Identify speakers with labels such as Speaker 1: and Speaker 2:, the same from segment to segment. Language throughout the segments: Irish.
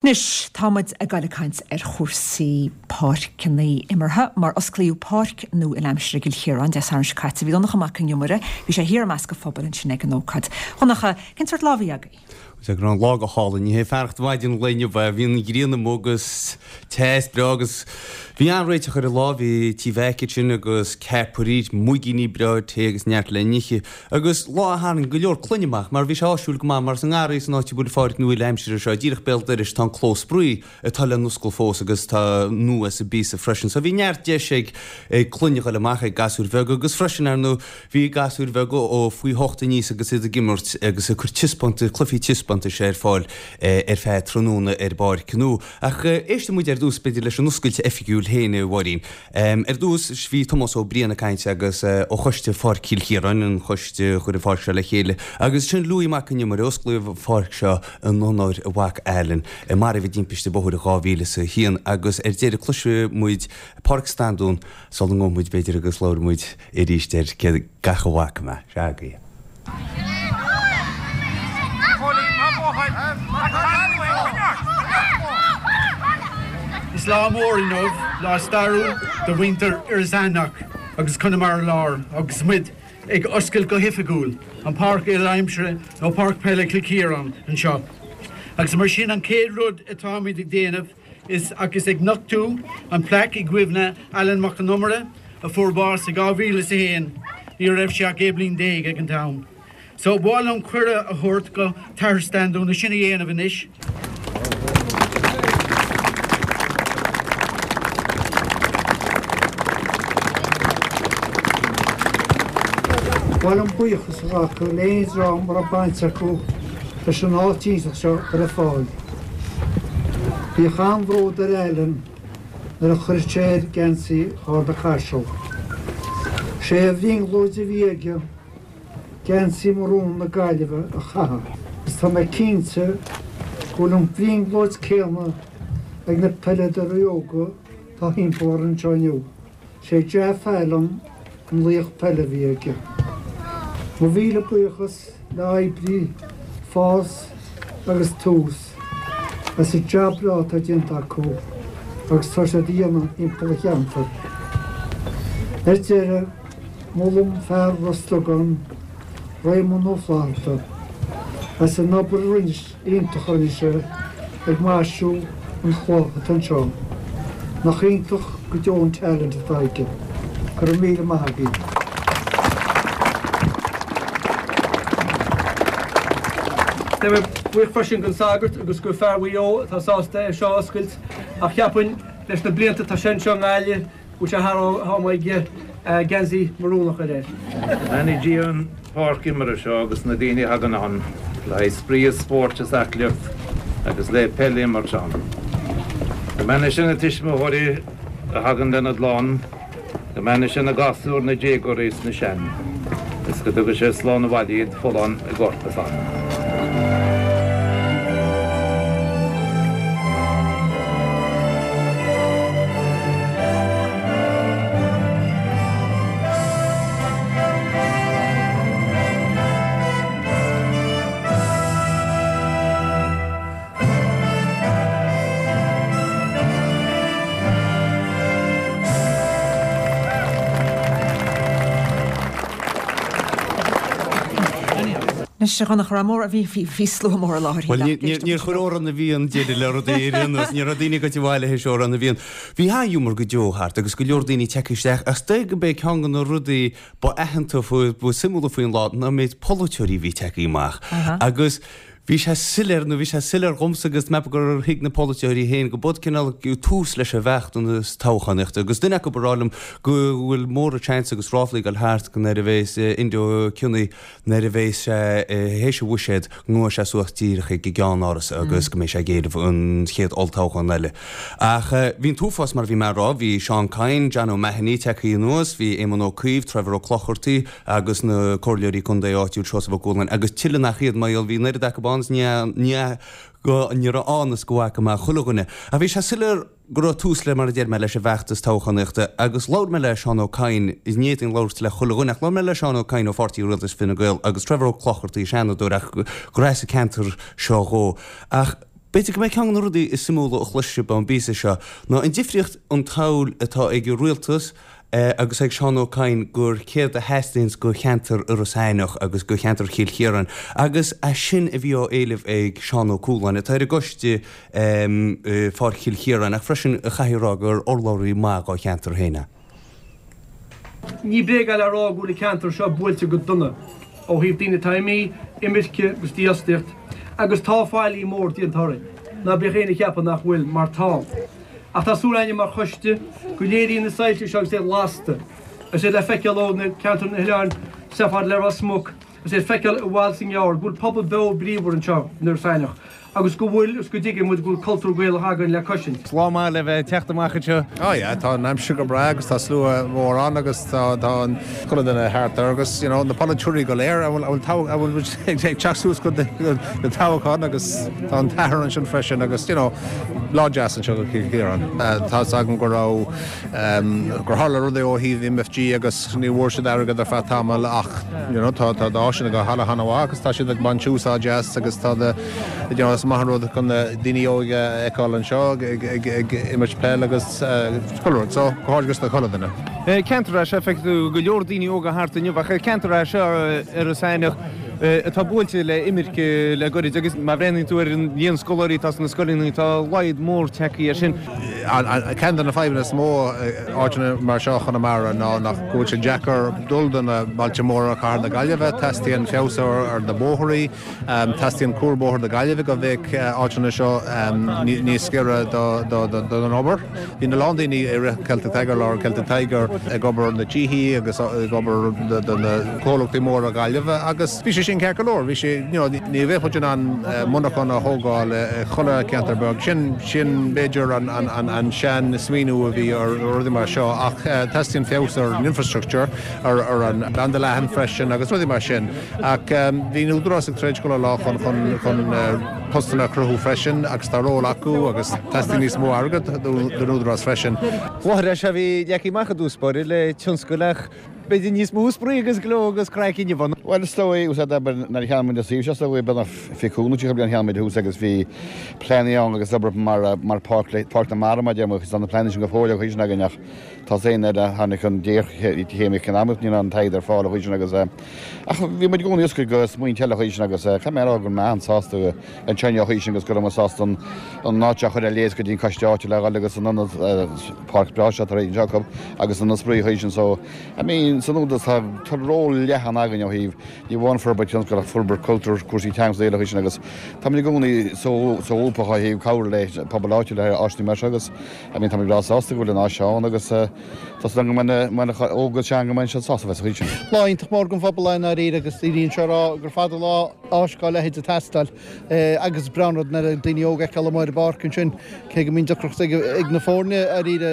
Speaker 1: Anois, tá muid ag goil ag caint ar chúrsaí páirceanna imeartha, mar osclaíodh páirc nua uileaimsire i gCill Chiaráin Dé Sathairn seo caite. Bhí Donncha Mac Con Iomaire, bhí sé thiar i measc an phobail ansin ag an ócáid. Dhonncha, cén sórt lá a bhí agaibh?
Speaker 2: Bhuel, go raibh an lá go hálainn. Ní hé fearacht maidin an lae inniu é. Bhí an ghrian amuigh agus te is breá agus bhí an-réiteach ar an lá. Bhí Tí Mheaic ansin agus ceapairí, muigíní breá tae agus neart le n-ithe. Agus lá a tharraing go leor clainne amach, mar bhí sé áisiúil go maith, mar sa ngarraí san áit a bhfuil an pháirc nua uile-aimsire seo, díreach béal dorais, tá an clós spraoi atá le n-oscailt fós agus tá nua sa bpíosa freisin. So bhí neart deis ag ag clainne a ghoil amach, ag gasúir bheaga agus freisin, ar ndóigh, bhí gasúir bheaga ó faoi hocht aníos agus iad ag imirt agus ag cur taispeántas, cluichí taispeántais ar fáil ar feadh tráthnóna ar an bpáirc nua. Ach éistfidh muid ar dtús, b'fhéidir, leis an oscailt oifigiúil féin, a Mháirín. Ar dtús, bhí Tomás Ó Briain ag caint agus ó choiste Pháirc Chill Chiaráin, an choiste a chuir an pháirc seo le chéile, agus ansin Louis Mac Con Iomaire, osclaíodh an pháirc seo in onóir a mhac Alan, a maraíodh i dtimpiste bóthair in 2001, agus ar deireadh cloisfidh muid Pádraic Standún sula ngabhfaidh muid b'fhéidir agus labhróidh muid arís ar gach a bhfaca mé. Sea, agaibh.
Speaker 3: Is lá mór inniu, lá stairiúil do mhuintir Iorras Aithneach agus Conamara Láir agus muid ag oscailt go hoifigiúil an Páirc Uile-Aimsire nó Páirc Peile Chill Chiaráin anseo. Agus mar sin an chéad rud atáimid ag déanamh is agus ag nochtú an plaic i gcuimhne Alan Mac Con Iomaire a fuair bás i 2001, ní raibh sé ach 16 bliain ag an t-am. So ba mhaith liom cuireadh a thabhairt go tAthair Standún é sin a dhéanamh anois.
Speaker 4: Ba mhaith liom buíochas a ghlacadh le aon dream a raibh baint acu leis an áit iontach seo a chur ar fáil. Bhíodh an-bhród ar Alan nuair a chuireadh sé air geansaí Charna Caiseal. Sé a bhrionglóid a bhí aige geansaí marún na Gaillimhe a chaitheamh agus tá mé cinnte go bhfuil an bhrionglóid céanna ag na peileadóirí óga atá thimpeall orainn anseo inniu. Sé jab Alan an laoch peile a bhí aige. Mo mhíle buíochas le oibrithe Fás agus Tús as an jab breá atá déanta acu agus tá siad a dhéanamh thimpeall an cheantair. Ar deireadh, molaim fear Ros Dugáin, Réamonn Ó Flatharta, as an obair a rinne iontach a rinne sé ag maisiú an chloch atá anseo. Nach iontach go deo an talent atá aige. Go raibh míle maith agaibh.
Speaker 5: Tá mé buíoch freisin don sagart agus go fear Mhaigh Eo atá sásta é seo a oscailt ach cheapfainn leis na blianta atá sé anseo i nGaillimh go bhfuil sé thar am aige geansaí marún a chur air.
Speaker 6: Go mbeannaí Dia an pháirc imeartha seo agus na daoine a thagann ann le haghaidh spraoi is spóirt is aclaíocht agus le peil a imirt ann. Go mbeannaí sé na tuismitheoirí a thagann lena gclann, go mbeannaí sé na gasúir, na déagóirí is na sean, is go dtuga sé slán abhaile iad folláin i gcorp is anam.
Speaker 1: Anois, a Dhonncha, raibh mór, bhí, bhí, bhí slua mór i láthair.
Speaker 2: Bhuel, níor chuir Órán na bhFiann deireadh le rudaí ar aon nós, ní raibh daoine ag goil abhaile théis Órán na bhFiann. Bhí an-ghiúmar go deo thart agus go leor daoine tagtha isteach ach is dóigh gurb é ceann de na rudaí ba aitheanta, ba suimiúla faoin lá ná an méid polaiteoirí a bhí tagtha amach agus Bhí sé soiléir, nó bhí sé soiléir dhomsa agus meapaim gur thuig na polaiteoirí féin go b'fhad cineál tús leis an bhfeachtas toghchánaíochta agus duine acu ag rá liom go bhfuil mór an seans agus ráflaí ag dul thart go nuair a bhéas Enda Ó Cionnaith nuair a bhéas sé théis a bhuiséad go ngabhfaidh sé suas díreach chuig an gCeann-Áras agus go mbeidh sé ag éileamh an chéad olltoghchán eile. Ach bhí an t-uafás mar a bhí mé a rá, bhí Seán Kyne, John O'Mahony tagtha anuas, bhí Éamon Ó Cuív, Trevor Ó Clochartaigh, agus na comhairleoirí contae áitiúil Seosamh Ó Cualáin agus tuilleadh nach iad mar gheall bhí an oiread acu ann is ní ní raibh ann is go bhfaca mé chuile dhuine. Ach bhí sé soiléir go raibh tús le, mar a deir mé, leis an bhfeachtas toghchánaíochta agus labhair mé le Seán Ó Cadhain, ní fhéadfainn labhairt le chuile dhuine ach labhair mé le Seán Ó Cadhain ó Pháirtí Rialtais Fine Gael agus Trevor Ó Clochartaigh, Seanadóir ach gur as an ceantar seo dhó. Ach. B'fhéidir go mbeidh ceann de na rudaí is suimiúla a chloisfidh sibh ón bpíosa seo ná an difríocht an tsamhail atá ag an rialtas agus ag Seán Ó Cadhain gur céard a theastaíonns go cheantar Iorras Aithneach agus go cheantar Chill Chiaráin agus é sin a bhí á éileamh ag Seán Ó Cualáin atá ar an gcoiste i Pháirc Chill Chiaráin ach freisin a chaithfidh a rá gur urlabhraí maith dhá cheantar féin é.
Speaker 5: Ní bréag é le rá go bhfuil an ceantar seo buailte go dona ó thaobh daoine atá imithe, imirce agus dífhostaíocht, agus tá faillí mór déanta orainn. Ná bíodh éinne ag ceapadh nach bhfuil, mar tá. Ach tá súil againne mar choiste go léiríonn na soilse seo agus iad lasta, agus iad le feiceáil ó na ceantair na hoileáin soir fad le Ros Muc, agus iad le feiceáil i bhfad is i ngearr, go bhfuil pobal beo bríomhar anseo in Iorras Aithneach. agus go bhfuil agus go dtuigeann muid go bhfuil cultúr Gaelach againn le coisint.
Speaker 2: Lá maith le bheith ag teacht amach anseo.
Speaker 7: Oh yeah, tá an aimsir go breá agus tá slua mór ann agus tá tá an chuile duine thart ar agus you know na polaiteoirí go léir a bhfuil a bhfuil a bhfuil muid ag teacht suas go go toghchán agus tá an t-athair ansin freisin agus you know lá deas anseo go Cill Chiaráin. Tá's agam go raibh gur tharla rudaí ó thaobh MFG agus ní bhfuair siad airgead ar feadh tamaill ach you know tá tá áiseanna go han-mhaith agus tá siad ag baint úsáid as agus tá na you know is maith an rud chun na daoine óga a fheiceáil anseo ag ag ag imirt peil agus chuile rud so comhghairdeas do chuile dhuine.
Speaker 2: Ceantar é seo, feicfidh tú go leor daoine óga thart inniu ach ceantar é seo Iorras Aithneach atá buailte le imirce le goirid agus má bhreathnaíonn tú ar an líon scoláirí atá sna scoileanna tá laghad mór tagtha air sin.
Speaker 7: Ceann de na fadhbanna is mó i áiteanna mar seo Chonamara ná nach go bhfuil sé deacair dul do na bailte móra Cathair na Gaillimhe. Teastaíonn feabhas ar na bóithrí, teastaíonn cuarbhóthar na Gaillimhe go mbeadh áiteanna seo níos giorra don obair. Bhí a lán daoine i rith Celtic Tiger, lár Celtic Tiger, ag obair na tithí agus ag obair do na comhlachtaí móra Gaillimhe agus bhí sé sin ceart go leor. Bhí sé, you know, ní bheadh muid in ann monarchan a thógáil i chuile cheantar beag. Sin, sin b'fhéidir an, an, an, an sean smaoineamh a bhí ar rudaí mar seo ach teastaíonn feabhas ar an infrastructure, ar, ar an banda leathan freisin agus rudaí mar sin. Ach bhí an Údarás ag troid chuile lá chun, chun, chun postanna a chruthú freisin agus tá ról acu agus teastaíonn níos mó airgead don Údarás freisin.
Speaker 2: Láthair é seo a bhí leagtha amach i dtús báire le tionscail ach b'fhéidir níos mó spraoi agus gleo agus craic inniu ann.
Speaker 8: Bhuel, is dóigh, úsáid abair, nuair a cheannaigh muid an suíomh seo, is dóigh, beagnach 25 nó 30 bliain a cheannaigh muid thuas agus bhí pleananna ann agus obair mar, mar páirc le, páirc na mara mar a deir muid, agus tá na pleananna sin go fóill an chaoi sin againn ach tá sé nuair a tháinig an ghéarchéim eacnamaíoch ní raibh an t-airgead ar fáil an chaoi sin agus ach bhí muid i gcónaí oscailte do smaointe eile an chaoi sin agus caithfidh mé a rá go raibh mé an-sásta anseo inniu an chaoi sin agus go raibh mé sásta an an áit seo a chur ar léas go dtí an coiste áitiúil a dhul agus an ionad páirc breá seo tar éis anseo acu agus an spraoi an chaoi sin so I mean san Údarás tá tá ról leathan againn ó thaobh ní amháin forbairt tionscail ach forbairt cultúir cúrsaí teanga is eile an chaoi sin agus táimid i gcónaí solúbtha ó thaobh cabhrú le pobal áitiúil ar áiseanna mar seo agus I mean, tá mé breá sásta go bhfuil an áis seo ann agus tá súil agam go mbeidh na óg agus sean go mbeidh siad sásta bheith sa chaoi sin.
Speaker 4: Lá iontach mór don phobal é i ndáiríre agus daoine anseo ag rá gur fada an lá áis dá leithéid ag teastáil agus is breá an rud nuair a daoine óga a fheiceáil amuigh ar an bpáirc ansin cé go mbíonn deacracht ag na foirne dáiríre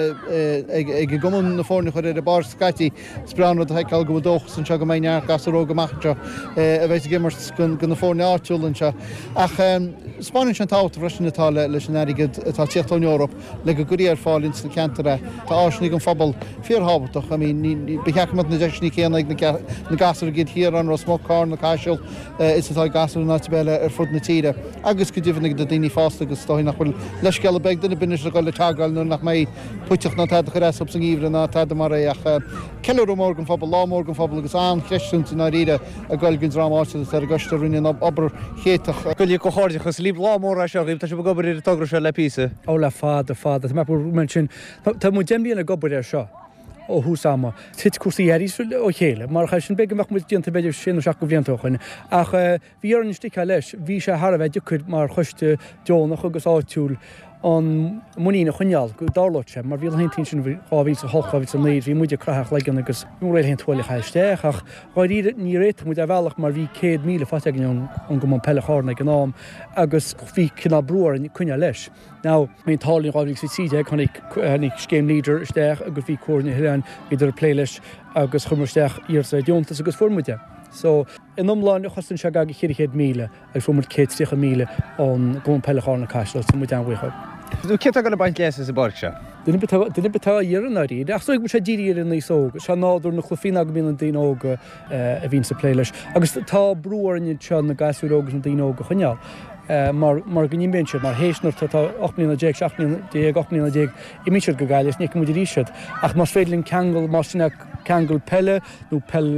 Speaker 4: ag an gcumann na foirne a chur ar an bpáirc scaití. Is breá an rud a fheiceáil go bhfuil dóchas anseo go mbeidh neart gasúr óg amach anseo a bheidh ag imirt do na foirne áitiúla anseo. Ach 'spáineann sé an tábhacht freisin atá leis an airgead atá ag tíocht ón Eoraip le go gcuirfí ar fáil ins na ceantair é. Tá áiseanna don phobal fíorthábhachtach. I mean, ba cheart go mbeadh na deiseanna céanna ag na gasúir i gCill Chiaráin, Ros Muc, Carna, Caiseal is atá ag gasúir in áit ar bith eile ar fud na tíre. Agus go deimhin ag na daoine fásta agus is dóigh nach bhfuil leithscéal ar bith ag duine ar bith anois a dhul le teagmháil nuair nach mbeidh puiteach ná tada a chur as sa ngeimhreadh ná tada mar é ach ceiliúradh mór don phobal, lá mór don phobal agus an-chreistiúint i ndáiríre ag goil don dream áitiúil atá ar an gcoiste a rinne an obair chéatach.
Speaker 2: Go comhghairdeachas libh, lá mór é seo dhaoibh, tá sibh ag obair ar an togra seo le píosa.
Speaker 5: Ó le fada, fada. Tá mé mar sin, tá muid 10 mbliana ag obair air seo ó thús ama. Thit cúrsaí arís ó chéile, mar sin b'fhéidir go mbeadh muid déanta b'fhéidir sé nó seacht de bhlianta ó shoin ach Bhí orainn sticeáil leis. Bhí sé thar a bheith deacair mar choiste deonach agus áitiúil an muinín a choinneáil go dtarlódh sé, mar bhí laethanta ansin 2008, 2009, bhí muid ag croitheadh ár gcloigeann agus ní raibh aon tuáille a chaitheamh isteach ach dháiríre níor fhéadfadh muid ar bhealach mar bhí 100,000 faighte againn ón gCumann Peile Chárna ag an am agus bhí cineál brú orainn coinneáil leis. Now, bhí an t-ádh linn 2013, tháinig, tháinig scéim Leader isteach agus bhí Comhairle na hOileáin, bhíodar ag plé leis agus chuir muid isteach iarratas ar deontas agus fuair muid é. So. In iomlán, chosain sé gar do 400,000 agus fuair muid 130,000 ón gCumann Peile Chárna Caiseal, so tá muid an-bhuíoch
Speaker 2: dhóibh. Cé atá ag dul ag baint leas as an bpáirc seo?
Speaker 5: Duine ar bith atá, duine ar bith atá á iarraidh i ndáiríre. Ach is dóigh go bhfuil sé dírithe ar an aos óg. Is é nádúr na cluichí ná go mbíonn na daoine óga a bhíonns ag plé leis. Agus tá brú orainn anseo na gasúir óga agus na daoine óga a choinneáil. mar mar go n-imíonn siad, mar théis nuair atá 18 mbliana, 17 mbliana, 18 mbliana, imíonn siad go Gaillimh is ní fheiceann muid arís iad. Ach más féidir linn ceangal, más sin é ceangal peile nó peil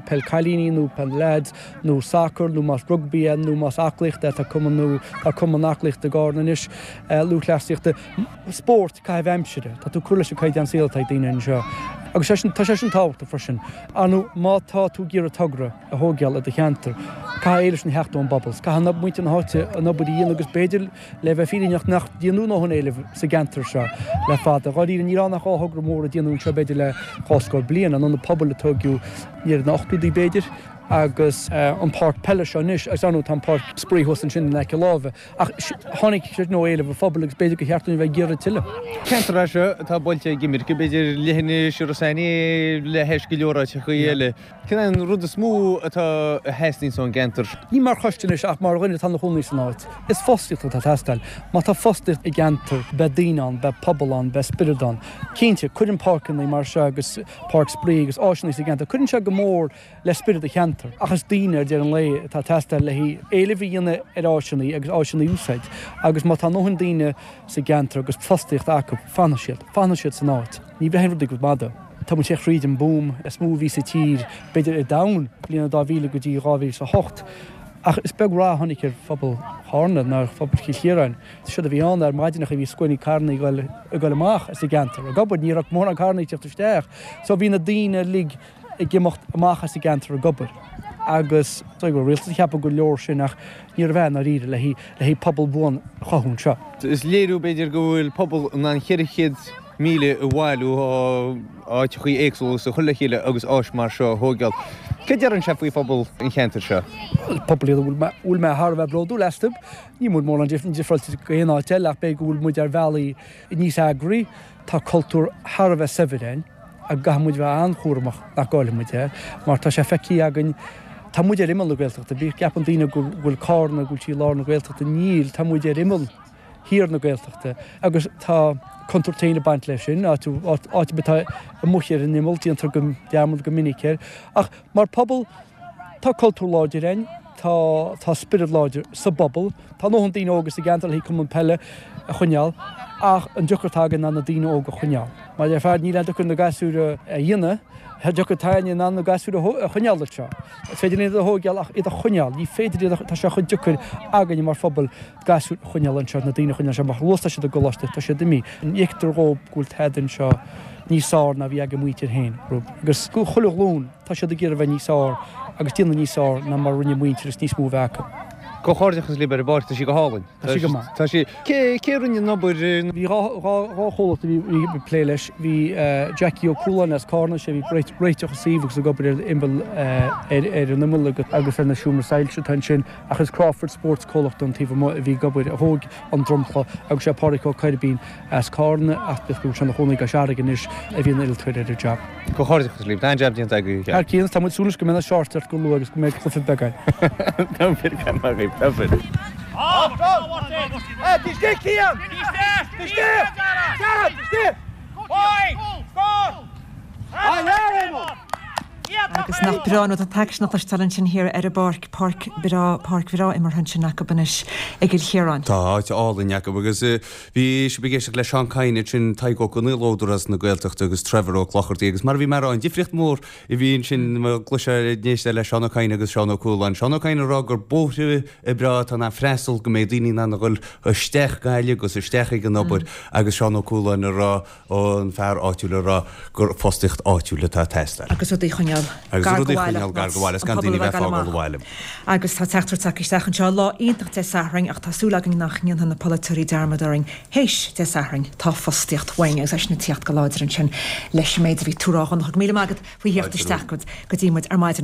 Speaker 5: peil cailíní nó peil leaids nó sacar nó más rugbaí é nó más aclaíocht é, tá cumann nó tá cumann aclaíochta i gCárna anois, lúthchleasaíochta, spórt, caitheamh aimsire, tá tú ag cur leis an caighdeán saoil atá ag daoine anseo. Agus sé sin, tá sé sin tábhachtach freisin. Ar ndóigh, má tá tú ag iarraidh togra a thógáil i do cheantar, caithfidh éileamh sin a theacht ón bpobal. Caithfidh muintir na háite an obair a dhéanamh agus b'fhéidir, le bheith fírinneach, nach déanadh a ndóthain éilimh sa gceantar seo le fada. Dháiríre, níl ann ach dá thogra mhóra a déanadh anseo b'fhéidir le dhá scór bliain, an Ionad Pobail a tógadh i ndeireadh na n-ochtóidí b'fhéidir, agus an páirc peile seo anois, agus ar ndóigh tá an páirc spraoi thuas ansin in aice láimhe. Ach tháinig sé sin ó éileamh an phobail agus b'fhéidir gur cheart dúinn a bheith ag iarraidh tuilleadh.
Speaker 2: Ceantar é seo atá buailte ag imirce, b'fhéidir leithinis Iorras Aithnigh le hais go leor áiteachaí eile. Cén é an rud is mó atá a theastaíonns ón gceantar?
Speaker 5: Ní mar choiste anois ach mar dhuine atá ina chónaí san áit. Is fostaíocht atá ag teastáil. Má tá fostaíocht i gceantar, beidh daoine ann, beidh pobal ann, beidh spiorad ann. Cinnte, cuireann páirceanna mar seo agus páirc spraoi agus áiseanna sa gceantar, cuireann sé go mór le spiorad an cheantair. Ach is daoine ar deireadh an lae atá ag teastáil le haghaidh éileamh a dhéanamh ar áiseanna agus áiseanna a úsáid. Agus má tá a ndóthain daoine sa gceantar agus fostaíocht acu, fanfaidh siad. Fanfaidh siad san áit. Ní bhraitheann rudaí go mada. Tá muid théis thríd an boom is mó a bhí sa tír, b'fhéidir ar domhan, bliana 2000 go dtí 2008. Ach is beag rath a tháinig ar phobal Chárna ná ar phobal Chill Chiaráin. Séard a bhí ann ar maidineacha bhí scuainí carrannaí ag goil amach as an gceantar ag obair. Ní raibh mórán carrannaí ag teacht isteach. So bhí na daoine uilig ag imeacht amach as an gceantar ag obair agus is dóigh go raibh rialtas ag ceapadh gur leor sin ach níorbh ea i ndáiríre le haghaidh pobal buan a chothú anseo.
Speaker 2: Is léiriú b'fhéidir go bhfuil pobal in ann 400,000 a bhailiú ó áiteachaí éagsúla agus a chur le chéile agus áis mar seo a thóigeáil. Cad a deireann sé faoi phobal an cheantair seo?
Speaker 5: Pobal iad a bhfuil mé thar a bheith bródúil astu. Níl muid mórán difreáilte go aon áit eile ach b'fhéidir go bhfuil muid ar bhealaí níos eagraí. Tá cultúr thar a bheith saibhir againn agus caithfidh muid bheith an-chúramach nach gcaillfidh muid é mar tá sé feicthe againn, tá muid ar imeall na Gaeltachta, bíodh gceapann daoine go bhfuil Cárna, go bhfuil sí i lár na Gaeltachta, níl, tá muid ar imeall thiar na Gaeltachta agus tá contúirt féin ag baint leis sin, áit áit ar bith atá amuigh ar an imeall, déantar go dearmad go minic air. Ach mar phobal, tá cultúr láidir againn, tá tá spiorad láidir sa bpobal. Tá a ndóthain daoine óga sa gceantar le haghaidh cumann peile a choinneáil ach an deocair atá againn ná na daoine óga a choinneáil. Mar a déarfá, níl aon deocair na gasúir a dhéanamh, an deocair atá againne ná na gasúir a choinneáil anseo. Is féidir linn iad a thóigeáil ach iad a choinneáil, ní féidir iad a, tá sé chomh deocair againne mar phobal gasúir a choinneáil anseo, na daoine a choinneáil anseo mar chomh luath is atá siad i gcoláiste, tá siad imithe. Ní fheictear dhóibh go bhfuil tada anseo níos fearr ná a bhí ag a muintir féin. Agus chuile ghlúin. Tá siad ag iarraidh a bheith níos fearr agus déanamh níos fearr ná mar a rinne a muintir is níos mó a bheith acu.
Speaker 2: Comhghairdeachas libh ar an bpáirc, tá sí go hálainn.
Speaker 5: Tá sí go maith.
Speaker 2: Tá sí. Cé, cé a rinne an obair?
Speaker 5: Bhí dha, dha, dha chomhlacht a bhí, bhí ag plé leis. Bhí Jackie Ó Cualáin as Cárna, sé a bhí ag réiteach an suíomh agus ag obair ar imeall, ar, ar an imeall agus, agus ar na seomra soilse atá ansin. Ach is Crawford Sports comhlacht ón taobh amuigh a bhí ag obair, a thóg an dromchla agus sé Pádraic Ó Coirbín as Cárna, ach bíodh go bhfuil sé ina chónaí i gCois Fharraige anois, a bhí ina innealtóir ar an jab.
Speaker 2: Comhghairdeachas libh, tá an-jab déanta agaibh.
Speaker 5: Thar cionn, tá muid ag súil anois go mbeidh na shorts ort go luath agus go mbeidh cluiche beag againn.
Speaker 1: Agus nach breá an rud an t-aicsean a chloisteáil ansin thiar ar an bpáirc, páirc breá, páirc bhreá imeartha ansin acu anois i gCill Chiaráin.
Speaker 2: Tá áit álainn acu agus Bhí sibh ag éisteacht le Seán Kyne ansin, Tadhg Ó Conaola ó Údarás na Gaeltachta agus Trevor Ó Clochartaigh agus mar a bhí mé a rá, an difríocht mhór a bhí ansin má chloisfeá ag éisteacht le Seán Ó Cadhain agus Seán Ó Cualáin. Seán Ó Cadhain ag rá gur bóithre breá atá in ann freastal go mbeidh daoine in ann a dhul isteach Gaillimh agus isteach ag an obair agus Seán Ó Cualáin ag rá an fear áitiúil ag rá gur fostaíocht áitiúil atá ag teastáil.
Speaker 1: Agus rudaí a choinneáil
Speaker 2: Agus gar go rudaí a baile, choinneáil gar go bhaile, is gan daoine a bheith ag fágáil an bhaile.
Speaker 1: Agus tá teachtaireacht tagtha isteach anseo, lá iontach Dé Sathairn ach tá súil againn nach ndéanfaidh na polaiteoirí dearmad orainn théis Dé Sathairn. Tá fostaíocht uainn agus eisean ag tíocht go láidir ansin leis an méid a bhí tú a rá a Dhonncha. Go míle maith agat faoi thíocht isteach go dtí muid ar maidin.